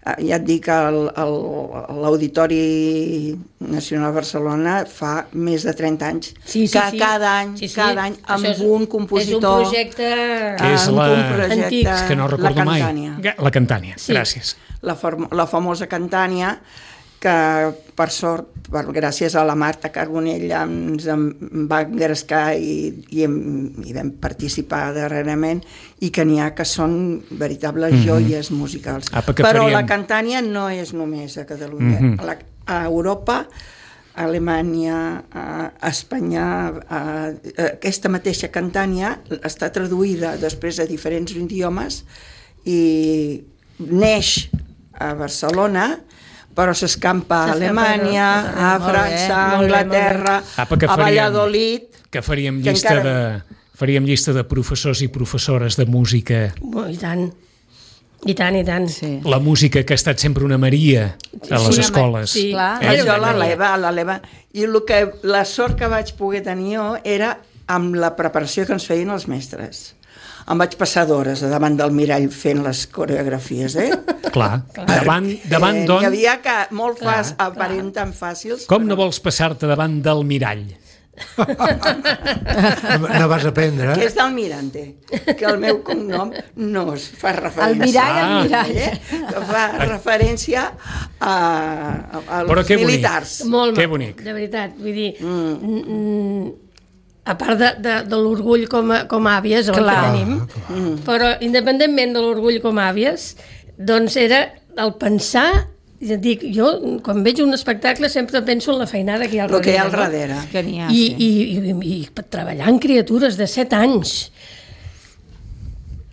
[SPEAKER 5] Eh, Ja et dic, el- el- l'Auditori Nacional de Barcelona fa més de trenta anys
[SPEAKER 3] Sí, sí,
[SPEAKER 5] que
[SPEAKER 3] sí.
[SPEAKER 5] cada any,
[SPEAKER 3] Sí, sí.
[SPEAKER 5] cada any amb
[SPEAKER 3] Això és-
[SPEAKER 5] un compositor,
[SPEAKER 3] És un projecte...
[SPEAKER 2] Que és
[SPEAKER 5] amb
[SPEAKER 2] la-
[SPEAKER 5] un projecte,
[SPEAKER 3] Antic.
[SPEAKER 2] És que no
[SPEAKER 5] la
[SPEAKER 2] recordo mai.
[SPEAKER 5] Cantània.
[SPEAKER 2] Ga- La Cantània,
[SPEAKER 3] Sí.
[SPEAKER 2] gràcies.
[SPEAKER 5] La, form- la famosa Cantània, que per sort, per, gràcies a la Marta Carbonell, ens en va engrescar i, i, hem, i vam participar darrerament, i que n'hi ha que són veritables
[SPEAKER 2] Mhm.
[SPEAKER 5] joies musicals.
[SPEAKER 2] Apa, que
[SPEAKER 5] Però
[SPEAKER 2] faríem-
[SPEAKER 5] la Cantània no és només a Catalunya.
[SPEAKER 2] Mhm.
[SPEAKER 5] a, la, a Europa, a Alemanya, a Espanya, a, a, aquesta mateixa Cantània està traduïda després a diferents idiomes i neix a Barcelona, però s'escampa a
[SPEAKER 3] S'escampa,
[SPEAKER 5] Alemanya,
[SPEAKER 3] no?
[SPEAKER 5] a
[SPEAKER 6] Molt bé,
[SPEAKER 5] França, a
[SPEAKER 3] molt bé,
[SPEAKER 5] Anglaterra,
[SPEAKER 2] Apa, que
[SPEAKER 5] a
[SPEAKER 2] faríem-
[SPEAKER 5] Valladolid.
[SPEAKER 2] Que faríem
[SPEAKER 5] Que
[SPEAKER 2] llista
[SPEAKER 5] encara-
[SPEAKER 2] de faríem llista de professors i professores de música.
[SPEAKER 3] Oh, I tant. I tant, i tant.
[SPEAKER 6] Sí.
[SPEAKER 2] La música que ha estat sempre una maria a les
[SPEAKER 3] Sí,
[SPEAKER 2] escoles.
[SPEAKER 3] sí.
[SPEAKER 6] Clar.
[SPEAKER 2] Eh?
[SPEAKER 5] Això l'eleva, l'eleva. I el que, la sort que vaig poder tenir jo era amb la preparació que ens feien els mestres. em vaig passar d'hores davant del mirall fent les coreografies, eh?
[SPEAKER 2] Clar, davant, davant
[SPEAKER 5] eh,
[SPEAKER 2] d'on...
[SPEAKER 5] N'hi havia que molt fàcil, aparenten fàcils.
[SPEAKER 2] Com no vols passar-te davant del mirall?
[SPEAKER 4] No vas aprendre,
[SPEAKER 5] Que
[SPEAKER 4] eh?
[SPEAKER 5] és d'Almirante, que el meu cognom no es fa referència.
[SPEAKER 6] El mirall, el
[SPEAKER 2] Ah.
[SPEAKER 6] mirall.
[SPEAKER 5] Eh? Que fa referència a, a, als
[SPEAKER 2] Però que bonic.
[SPEAKER 5] militars.
[SPEAKER 3] Molt
[SPEAKER 2] Que
[SPEAKER 3] maco,
[SPEAKER 2] bonic.
[SPEAKER 3] de veritat. Vull dir, mm. Mm, a part de, de, de l'orgull com a, com a àvies, el que
[SPEAKER 6] Clar.
[SPEAKER 3] tenim, mm. però independentment de l'orgull com a àvies, doncs era el pensar, ja dic, jo quan veig un espectacle sempre penso en la feinada que hi ha al
[SPEAKER 5] El que hi ha al
[SPEAKER 3] darrere.
[SPEAKER 5] darrere.
[SPEAKER 6] Que n'hi ha,
[SPEAKER 3] I,
[SPEAKER 6] sí.
[SPEAKER 3] i, i, i, i treballar amb criatures de set anys,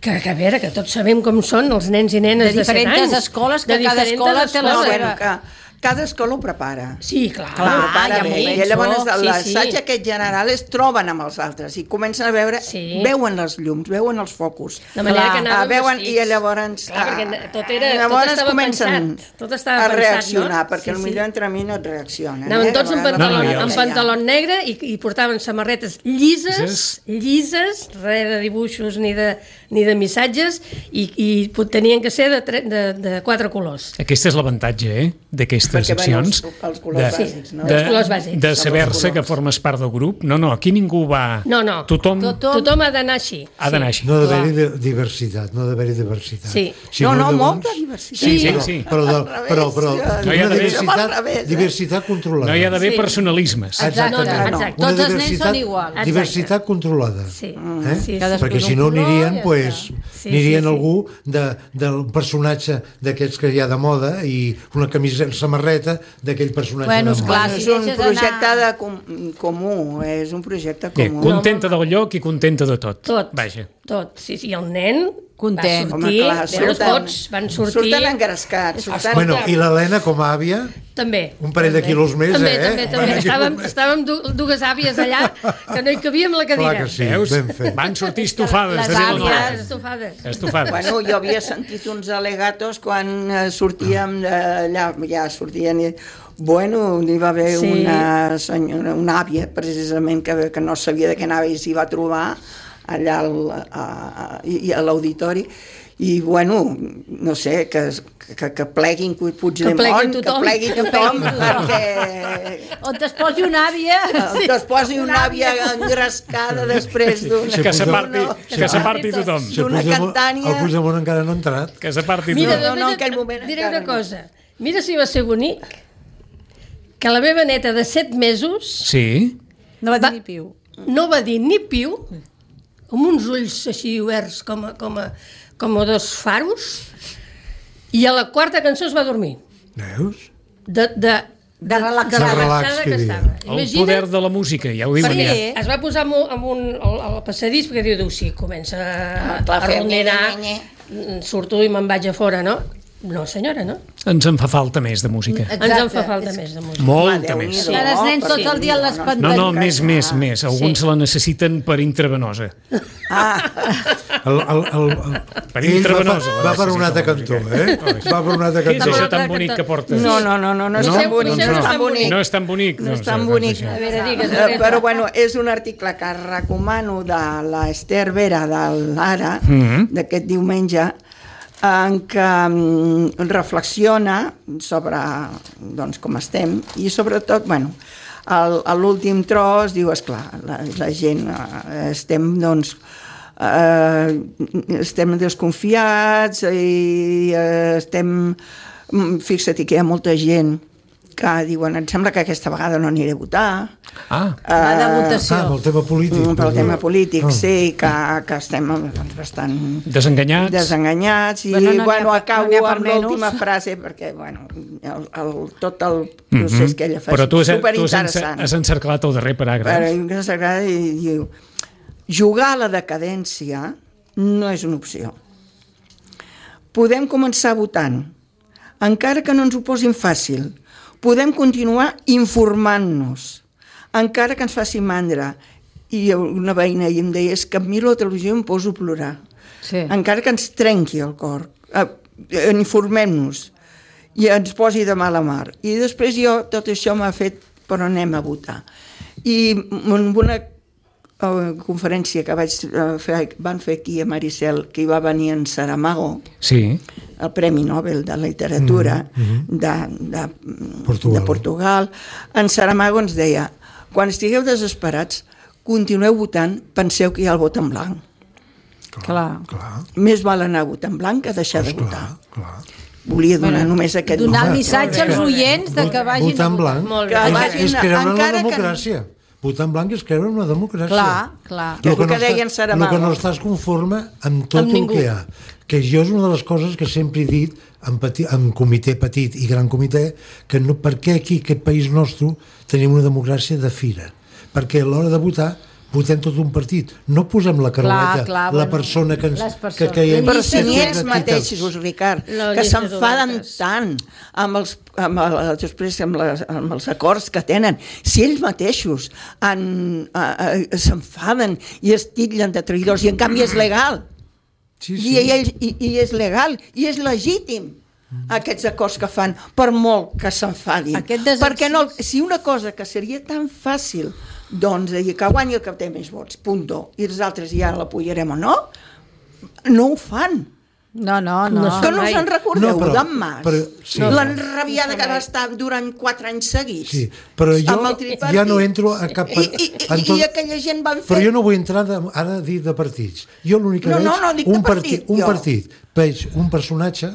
[SPEAKER 3] que, que a veure, que tots sabem com són els nens i nenes
[SPEAKER 6] De
[SPEAKER 3] de, set anys.
[SPEAKER 6] diferents escoles, que
[SPEAKER 3] De
[SPEAKER 6] cada
[SPEAKER 3] diferents
[SPEAKER 6] escola té la
[SPEAKER 5] No,
[SPEAKER 3] escoles.
[SPEAKER 6] seva.
[SPEAKER 5] bueno, que cada escola ho prepara.
[SPEAKER 3] Sí, clar.
[SPEAKER 6] Clar,
[SPEAKER 5] prepara
[SPEAKER 6] ja m'ho
[SPEAKER 5] bé.
[SPEAKER 6] penso.
[SPEAKER 5] I llavors
[SPEAKER 3] Sí,
[SPEAKER 5] l'assaig
[SPEAKER 3] sí.
[SPEAKER 5] aquest general es troben amb els altres i comencen a veure,
[SPEAKER 3] Sí.
[SPEAKER 5] veuen les llums, veuen els focus.
[SPEAKER 3] De manera
[SPEAKER 5] Clar,
[SPEAKER 3] que anaven
[SPEAKER 5] ah, veuen,
[SPEAKER 3] vestits.
[SPEAKER 5] I llavors,
[SPEAKER 3] Clar, perquè tot era-
[SPEAKER 5] ah,
[SPEAKER 3] tot
[SPEAKER 5] llavors
[SPEAKER 3] estava
[SPEAKER 5] comencen
[SPEAKER 3] pensat, tot estava
[SPEAKER 5] a
[SPEAKER 3] pensat,
[SPEAKER 5] reaccionar,
[SPEAKER 3] no?
[SPEAKER 5] perquè
[SPEAKER 3] Sí, sí.
[SPEAKER 5] potser entre mi no et reaccionen.
[SPEAKER 3] Anaven
[SPEAKER 5] eh?
[SPEAKER 3] tots
[SPEAKER 5] De
[SPEAKER 3] amb
[SPEAKER 5] vegades
[SPEAKER 3] pantaló,
[SPEAKER 2] No, no, ja ho
[SPEAKER 3] amb
[SPEAKER 2] sé.
[SPEAKER 3] pantaló negre i, i portaven samarretes llises,
[SPEAKER 2] Llises.
[SPEAKER 3] llises, res de dibuixos ni de, ni de missatges, i, i pot- tenien que ser de, tre, de, de quatre colors.
[SPEAKER 2] Aquest és l'avantatge, eh?, d'aquestes
[SPEAKER 5] Perquè, bueno,
[SPEAKER 2] accions.
[SPEAKER 5] els- els colors bàsics, no?
[SPEAKER 2] De,
[SPEAKER 3] Els colors bàsics.
[SPEAKER 2] de
[SPEAKER 5] Són
[SPEAKER 2] saber-se
[SPEAKER 5] els
[SPEAKER 2] que
[SPEAKER 5] colors.
[SPEAKER 2] formes part del grup. No, no, aquí ningú va...
[SPEAKER 3] No, no.
[SPEAKER 2] Tothom,
[SPEAKER 6] Tothom.
[SPEAKER 3] Tothom ha d'anar així.
[SPEAKER 2] ha d'anar així.
[SPEAKER 4] No ha d'haver-hi de- diversitat, no ha d'haver-hi diversitat.
[SPEAKER 3] Sí.
[SPEAKER 4] Si
[SPEAKER 5] No, no,
[SPEAKER 4] llavors-
[SPEAKER 5] molta diversitat.
[SPEAKER 2] Sí, sí,
[SPEAKER 4] Però,
[SPEAKER 2] sí.
[SPEAKER 4] però, de,
[SPEAKER 5] Al revés,
[SPEAKER 4] però, però
[SPEAKER 5] jo-
[SPEAKER 2] No hi ha
[SPEAKER 4] una
[SPEAKER 2] d'haver-
[SPEAKER 4] diversitat,
[SPEAKER 5] Al revés, eh?
[SPEAKER 4] diversitat controlada.
[SPEAKER 2] No hi ha d'haver
[SPEAKER 3] Sí.
[SPEAKER 2] personalismes.
[SPEAKER 6] Exacte.
[SPEAKER 3] No, no,
[SPEAKER 5] no.
[SPEAKER 3] exacte.
[SPEAKER 4] Una
[SPEAKER 6] Tots els nens
[SPEAKER 4] diversitat-
[SPEAKER 6] són iguals.
[SPEAKER 3] Exacte.
[SPEAKER 4] Diversitat controlada.
[SPEAKER 3] Sí.
[SPEAKER 4] Eh?
[SPEAKER 3] Sí, sí.
[SPEAKER 6] Cadascú
[SPEAKER 4] Perquè
[SPEAKER 6] d'un
[SPEAKER 4] si no
[SPEAKER 6] color,
[SPEAKER 4] anirien,
[SPEAKER 6] ja
[SPEAKER 4] pues,
[SPEAKER 3] està. Sí,
[SPEAKER 4] anirien
[SPEAKER 3] sí, sí.
[SPEAKER 4] algú de, del personatge d'aquests que hi ha de moda i una camisa, samarreta d'aquell personatge
[SPEAKER 6] Bueno,
[SPEAKER 4] de moda.
[SPEAKER 6] esclar,
[SPEAKER 5] Bueno,
[SPEAKER 6] si
[SPEAKER 5] és un
[SPEAKER 6] deixes
[SPEAKER 5] projecte
[SPEAKER 6] anar-
[SPEAKER 5] de com, comú, és un projecte
[SPEAKER 2] Bé,
[SPEAKER 5] comú.
[SPEAKER 2] contenta del lloc i contenta de tot.
[SPEAKER 3] Tot.
[SPEAKER 2] Vaja.
[SPEAKER 3] Tot. Sí, sí, i el nen
[SPEAKER 6] Content.
[SPEAKER 3] va
[SPEAKER 5] Home,
[SPEAKER 3] sortir,
[SPEAKER 5] clar,
[SPEAKER 3] veure, tots van sortir...
[SPEAKER 5] Surten engrescats. Surten...
[SPEAKER 4] Bueno, i l'Helena com a àvia,
[SPEAKER 3] També.
[SPEAKER 4] un parell de
[SPEAKER 3] també.
[SPEAKER 4] quilos més,
[SPEAKER 3] també,
[SPEAKER 4] eh?
[SPEAKER 3] També,
[SPEAKER 4] Un
[SPEAKER 3] també.
[SPEAKER 4] parell de
[SPEAKER 3] Estàvem,
[SPEAKER 4] quilos més.
[SPEAKER 3] estàvem du dues àvies allà que no hi cabíem a la cadira.
[SPEAKER 4] Clar que sí,
[SPEAKER 2] Veus?
[SPEAKER 4] ben fet.
[SPEAKER 2] Van sortir estofades
[SPEAKER 6] Les
[SPEAKER 2] de Vilanova.
[SPEAKER 6] àvies.
[SPEAKER 3] Estofades.
[SPEAKER 2] Estofades.
[SPEAKER 5] Bueno, jo havia sentit uns alegatos quan eh, sortíem d'allà, ja sortien i... Bueno, hi va haver
[SPEAKER 3] Sí.
[SPEAKER 5] una senyora, una àvia, precisament, que, que no sabia de què anava i s'hi va trobar allà al, a, a, i a l'auditori, i bueno, no sé, que, que, que pleguin Puigdemont,
[SPEAKER 3] Que plegui
[SPEAKER 5] que
[SPEAKER 3] tothom.
[SPEAKER 5] plegui
[SPEAKER 6] Que
[SPEAKER 5] tothom,
[SPEAKER 6] plegui tothom.
[SPEAKER 5] perquè
[SPEAKER 6] On es posi una àvia...
[SPEAKER 5] que es posi una àvia engrescada després d'una...
[SPEAKER 2] Que s'aparti
[SPEAKER 5] d'una-
[SPEAKER 2] que s'aparti tothom.
[SPEAKER 4] Si
[SPEAKER 5] D'una
[SPEAKER 4] el Puigdemont-
[SPEAKER 5] cantània-
[SPEAKER 4] El Puigdemont encara no ha entrat.
[SPEAKER 2] Que s'aparti
[SPEAKER 3] Mira,
[SPEAKER 2] tothom.
[SPEAKER 5] no, no, en
[SPEAKER 3] només
[SPEAKER 5] aquell
[SPEAKER 3] et
[SPEAKER 5] moment
[SPEAKER 3] diré
[SPEAKER 5] encara
[SPEAKER 3] una
[SPEAKER 5] no.
[SPEAKER 3] cosa. Mira si va ser bonic que la meva neta de set mesos
[SPEAKER 2] Sí.
[SPEAKER 6] No va dir
[SPEAKER 3] Va-
[SPEAKER 6] ni piu.
[SPEAKER 3] no va dir ni piu, amb uns ulls així oberts com a, com a, com a dos faros, i a la quarta cançó es va dormir.
[SPEAKER 4] Veus?
[SPEAKER 3] De, de,
[SPEAKER 6] De relaxar.
[SPEAKER 3] de
[SPEAKER 4] De relax,
[SPEAKER 3] relaxada
[SPEAKER 4] que
[SPEAKER 3] que
[SPEAKER 4] diria.
[SPEAKER 3] estava.
[SPEAKER 2] El poder de la música, ja ho diuen
[SPEAKER 3] perquè
[SPEAKER 2] ja.
[SPEAKER 3] es va posar amb un, amb un, al, al passadís perquè diu, diu sí, comença a,
[SPEAKER 5] Ah, clar,
[SPEAKER 3] a
[SPEAKER 5] fer
[SPEAKER 3] rondinar,
[SPEAKER 5] nye,
[SPEAKER 3] mm, surto i me'n vaig a fora, no? No, senyora, no?
[SPEAKER 2] Ens en fa falta més de música.
[SPEAKER 3] Ens en fa
[SPEAKER 6] Exacte.
[SPEAKER 3] falta més de música.
[SPEAKER 2] Molta
[SPEAKER 5] Home,
[SPEAKER 2] més.
[SPEAKER 5] Déu-n'hi-do.
[SPEAKER 6] Ara els nens
[SPEAKER 5] No,
[SPEAKER 6] tot el dia a les
[SPEAKER 5] perquè-
[SPEAKER 2] No, no,
[SPEAKER 6] pantalles.
[SPEAKER 2] més, més, més. Alguns
[SPEAKER 3] Sí.
[SPEAKER 2] la necessiten per intravenosa.
[SPEAKER 5] Ah,
[SPEAKER 4] El, el, el, el,
[SPEAKER 2] Per
[SPEAKER 4] ell va,
[SPEAKER 2] intravenosa,
[SPEAKER 4] per,
[SPEAKER 2] la
[SPEAKER 4] va per un altre
[SPEAKER 2] necessita
[SPEAKER 4] cantó,
[SPEAKER 2] la
[SPEAKER 4] eh?
[SPEAKER 2] música.
[SPEAKER 4] Va per un altre
[SPEAKER 2] Què és
[SPEAKER 4] cantó.
[SPEAKER 2] això tan bonic que portes?
[SPEAKER 5] no, no, no, no, no és
[SPEAKER 3] No?
[SPEAKER 5] tan
[SPEAKER 3] No,
[SPEAKER 5] bonic,
[SPEAKER 3] no,
[SPEAKER 5] no és
[SPEAKER 3] no.
[SPEAKER 5] tan bonic.
[SPEAKER 2] No és tan bonic.
[SPEAKER 5] No és
[SPEAKER 2] doncs,
[SPEAKER 5] tan
[SPEAKER 2] doncs,
[SPEAKER 5] bonic.
[SPEAKER 2] això.
[SPEAKER 3] A veure, digues.
[SPEAKER 5] Eh, però bueno, és un article que recomano de l'Ester Vera de l'Ara,
[SPEAKER 2] Mhm.
[SPEAKER 5] d'aquest diumenge, en què mm, reflexiona sobre doncs, com estem i sobretot, bueno, al- a l'últim tros diu, esclar, la, la gent eh, estem, doncs, eh, estem desconfiats i eh, estem... mm, Fixa't que hi ha molta gent que diuen, em sembla que aquesta vegada no aniré a votar.
[SPEAKER 2] Ah,
[SPEAKER 6] Va de votació.
[SPEAKER 4] Ah, pel tema polític.
[SPEAKER 5] Mm, pel tema polític,
[SPEAKER 4] Ah.
[SPEAKER 5] sí, que, que estem doncs, bastant
[SPEAKER 2] desenganyats.
[SPEAKER 5] desenganyats i,
[SPEAKER 6] Bueno,
[SPEAKER 5] bueno,
[SPEAKER 6] no
[SPEAKER 5] bueno
[SPEAKER 6] n'hi ha-
[SPEAKER 5] acabo
[SPEAKER 6] no n'hi ha per
[SPEAKER 5] amb l'última
[SPEAKER 6] menys.
[SPEAKER 5] frase perquè, bueno, el, el, tot el procés
[SPEAKER 2] Mhm.
[SPEAKER 5] que ella fa
[SPEAKER 2] Però tu
[SPEAKER 5] és
[SPEAKER 2] has, tu has,
[SPEAKER 5] superinteressant.
[SPEAKER 2] encer- has encerclat el darrer paràgraf.
[SPEAKER 5] Però que s'agrada i diu, jugar a la decadència no és una opció. Podem començar votant, encara que no ens ho posin fàcil. Podem continuar informant-nos, encara que ens faci mandra. I una veïna i em deia, és que em miro la televisió i em poso a plorar.
[SPEAKER 6] Sí.
[SPEAKER 5] Encara que ens trenqui el cor. Eh, eh, informem-nos i ens posi de mala mar. I després jo, tot això m'ha fet, però anem a votar. I amb una uh, conferència que vaig uh, fer, van fer aquí a Maricel, que hi va venir en Saramago,
[SPEAKER 2] Sí.
[SPEAKER 5] el Premi Nobel de Literatura
[SPEAKER 4] Mm, mm.
[SPEAKER 5] de, de,
[SPEAKER 4] Portugal.
[SPEAKER 5] de Portugal. En Saramago ens deia, quan estigueu desesperats, continueu votant, penseu que hi ha el vot en blanc.
[SPEAKER 6] Clar.
[SPEAKER 4] Clar,
[SPEAKER 5] Més val anar a votar en blanc que deixar de
[SPEAKER 4] clar,
[SPEAKER 5] votar.
[SPEAKER 4] clar.
[SPEAKER 5] Volia donar només aquest
[SPEAKER 6] Donar el
[SPEAKER 5] Home,
[SPEAKER 6] missatge als oients de que vagin
[SPEAKER 4] Votar
[SPEAKER 6] a
[SPEAKER 4] en
[SPEAKER 6] votar.
[SPEAKER 4] blanc
[SPEAKER 3] Molt bé.
[SPEAKER 5] Que
[SPEAKER 4] és,
[SPEAKER 5] vagin
[SPEAKER 4] és creure en la
[SPEAKER 5] encara que-
[SPEAKER 4] democràcia. Votar en blanc és creure en la democràcia.
[SPEAKER 6] Clar, clar.
[SPEAKER 5] És el que
[SPEAKER 4] no
[SPEAKER 5] deia en
[SPEAKER 4] està-
[SPEAKER 5] Saramago.
[SPEAKER 4] El que no estàs conforme amb tot
[SPEAKER 3] Amb
[SPEAKER 4] el
[SPEAKER 3] ningú.
[SPEAKER 4] que hi ha. Que jo és una de les coses que sempre he dit en, peti, en comitè petit i gran comitè, que no, per què aquí, aquest país nostre, tenim una democràcia de fira? Perquè a l'hora de votar votem tot un partit, no posem la caroleta,
[SPEAKER 6] Clar, clar,
[SPEAKER 4] la
[SPEAKER 6] bueno,
[SPEAKER 4] persona que, ens,
[SPEAKER 6] les
[SPEAKER 4] que
[SPEAKER 6] persones.
[SPEAKER 4] creiem
[SPEAKER 5] Però si
[SPEAKER 4] que
[SPEAKER 5] ni
[SPEAKER 4] té
[SPEAKER 5] ells
[SPEAKER 4] identitats.
[SPEAKER 5] mateixos, Ricard,
[SPEAKER 3] La
[SPEAKER 5] que
[SPEAKER 3] llista
[SPEAKER 5] s'enfaden
[SPEAKER 3] d'obertes.
[SPEAKER 5] tant amb els, amb, el, després amb, les, amb els acords que tenen, si ells mateixos han, a, a, s'enfaden i es titllen de traïdors i en canvi és legal,
[SPEAKER 4] Sí,
[SPEAKER 5] I,
[SPEAKER 4] sí.
[SPEAKER 5] ells, i, i és legal i és legítim aquests acords que fan, per molt que s'enfadin.
[SPEAKER 6] Aquest desex-
[SPEAKER 5] Perquè no, si una cosa que seria tan fàcil, doncs, de dir que guanyi el que té més vots, punto, i els altres ja l'apoyarem o no, no ho fan.
[SPEAKER 6] No, no, no.
[SPEAKER 3] No
[SPEAKER 5] Que no
[SPEAKER 3] mai.
[SPEAKER 5] us en recordeu,
[SPEAKER 4] No, però-
[SPEAKER 5] d'en Mas?
[SPEAKER 4] però- sí.
[SPEAKER 5] L'enrabiada que va estar durant quatre anys seguits.
[SPEAKER 4] Sí, però jo
[SPEAKER 5] amb el tripartit.
[SPEAKER 4] ja no entro a cap...
[SPEAKER 5] I, i,
[SPEAKER 4] en
[SPEAKER 5] i, i aquella gent van fer...
[SPEAKER 4] Però jo no vull entrar de, ara a dir de partits. Jo l'únic que
[SPEAKER 5] No,
[SPEAKER 4] veig,
[SPEAKER 5] no, no, dic de
[SPEAKER 4] un
[SPEAKER 5] partit,
[SPEAKER 4] un
[SPEAKER 5] jo.
[SPEAKER 4] partit, veig un personatge,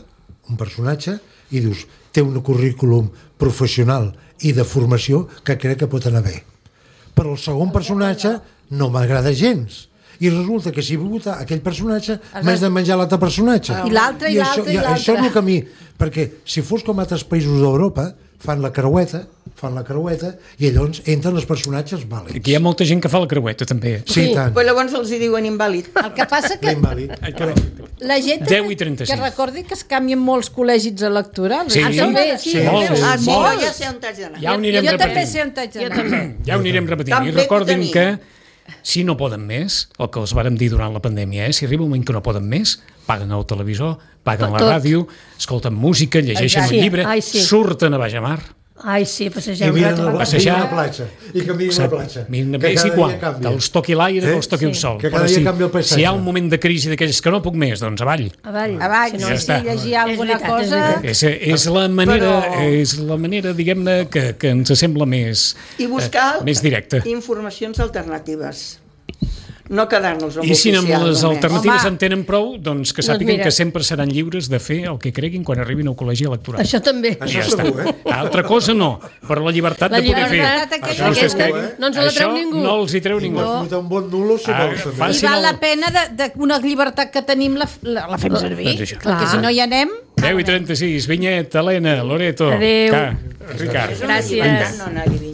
[SPEAKER 4] un personatge, i dius, té un currículum professional i de formació que crec que pot anar bé. Però el segon personatge no m'agrada gens. I resulta que si vull votar aquell personatge m'haig de menjar l'altre personatge.
[SPEAKER 6] I l'altre, i
[SPEAKER 4] això,
[SPEAKER 6] l'altre, i
[SPEAKER 4] Això és
[SPEAKER 6] l'altre.
[SPEAKER 4] el que a mi... Perquè si fos com altres països d'Europa, fan la creueta, fan la creueta, i llavors entren els personatges vàlids.
[SPEAKER 2] Aquí hi ha molta gent que fa la creueta, també.
[SPEAKER 4] Sí, tant.
[SPEAKER 5] Però llavors els hi diuen invàlid.
[SPEAKER 6] El que passa que
[SPEAKER 4] L'invàlid.
[SPEAKER 2] Però,
[SPEAKER 6] la gent
[SPEAKER 2] deu i trenta-sis.
[SPEAKER 6] que recordi que es canvien molts col·legis electorals.
[SPEAKER 2] Sí.
[SPEAKER 6] Ah, també, sí.
[SPEAKER 2] Molts.
[SPEAKER 5] Ah, sí,
[SPEAKER 2] Molts.
[SPEAKER 5] ja sé on t'has d'anar.
[SPEAKER 2] ja ho anirem
[SPEAKER 6] Jo també
[SPEAKER 2] repetint.
[SPEAKER 6] sé on t'haig
[SPEAKER 3] Jo
[SPEAKER 6] d'anar.
[SPEAKER 3] també.
[SPEAKER 2] Ja ho anirem repetint.
[SPEAKER 5] També
[SPEAKER 2] I recordin
[SPEAKER 5] ho
[SPEAKER 2] que,
[SPEAKER 5] tenia.
[SPEAKER 2] si no poden més, el que els vàrem dir durant la pandèmia, eh? Si arriba un moment que no poden més, paguen el televisor, paguen la
[SPEAKER 3] Tot.
[SPEAKER 2] ràdio, escolten música, llegeixen
[SPEAKER 3] Exacte.
[SPEAKER 2] un llibre,
[SPEAKER 3] Ai, sí.
[SPEAKER 2] surten a baix a mar.
[SPEAKER 3] Ai, sí,
[SPEAKER 4] I
[SPEAKER 3] passegem un
[SPEAKER 4] miren
[SPEAKER 3] rato.
[SPEAKER 4] a la,
[SPEAKER 2] passejar.
[SPEAKER 4] miren la platja. I que miren la platja.
[SPEAKER 2] Miren,
[SPEAKER 4] Que
[SPEAKER 2] és
[SPEAKER 4] cada
[SPEAKER 2] igual,
[SPEAKER 4] dia canvia.
[SPEAKER 2] que els toqui l'aire,
[SPEAKER 4] Eh?
[SPEAKER 2] que els toqui el
[SPEAKER 3] Sí.
[SPEAKER 2] sol.
[SPEAKER 4] Que cada
[SPEAKER 2] Però
[SPEAKER 4] dia
[SPEAKER 2] si,
[SPEAKER 4] canvia el paisatge.
[SPEAKER 2] si hi ha un moment de crisi d'aquells que no puc més, doncs avall.
[SPEAKER 3] Avall.
[SPEAKER 6] Avall,
[SPEAKER 3] Si
[SPEAKER 6] sí,
[SPEAKER 3] no,
[SPEAKER 2] ja
[SPEAKER 6] sí,
[SPEAKER 2] està.
[SPEAKER 6] llegir
[SPEAKER 3] És
[SPEAKER 6] alguna
[SPEAKER 3] veritat, és
[SPEAKER 6] cosa...
[SPEAKER 3] veritat.
[SPEAKER 2] És, és la manera,
[SPEAKER 5] Però-
[SPEAKER 2] és la manera diguem-ne, que, que ens sembla més,
[SPEAKER 5] I buscar
[SPEAKER 2] eh, més directa.
[SPEAKER 5] informacions alternatives. No quedar-nos amb
[SPEAKER 2] I si amb
[SPEAKER 5] l'oficial
[SPEAKER 2] les
[SPEAKER 5] només.
[SPEAKER 2] alternatives
[SPEAKER 6] Home.
[SPEAKER 2] en tenen prou, doncs que
[SPEAKER 3] Doncs
[SPEAKER 2] sàpiguen
[SPEAKER 3] mira.
[SPEAKER 2] que sempre seran lliures de fer el que creguin quan arribin al col·legi electoral.
[SPEAKER 3] Això també.
[SPEAKER 4] Això
[SPEAKER 2] ja està.
[SPEAKER 4] segur, eh?
[SPEAKER 2] Altra cosa no, però la llibertat
[SPEAKER 3] La
[SPEAKER 2] de poder
[SPEAKER 3] llibertat
[SPEAKER 2] fer.
[SPEAKER 6] aquella
[SPEAKER 2] Això vostès
[SPEAKER 6] aquesta,
[SPEAKER 2] creguin.
[SPEAKER 3] no ens la treu
[SPEAKER 2] Això
[SPEAKER 3] ningú.
[SPEAKER 2] no els hi treu ningú.
[SPEAKER 4] Pots votar un bon nulo si
[SPEAKER 2] Ah,
[SPEAKER 4] vols. també.
[SPEAKER 2] fa-
[SPEAKER 6] I
[SPEAKER 2] si
[SPEAKER 6] val
[SPEAKER 2] no-
[SPEAKER 6] la pena de, de una llibertat que tenim la, la, la fem servir.
[SPEAKER 2] Doncs això.
[SPEAKER 6] Perquè
[SPEAKER 3] Clar.
[SPEAKER 6] si no hi anem...
[SPEAKER 2] deu i trenta-sis, Vinyet, Helena, Loreto,
[SPEAKER 3] Adéu.
[SPEAKER 2] Ca, Ricard.
[SPEAKER 3] Gràcies.
[SPEAKER 5] Llibertat no anar a Vinyet.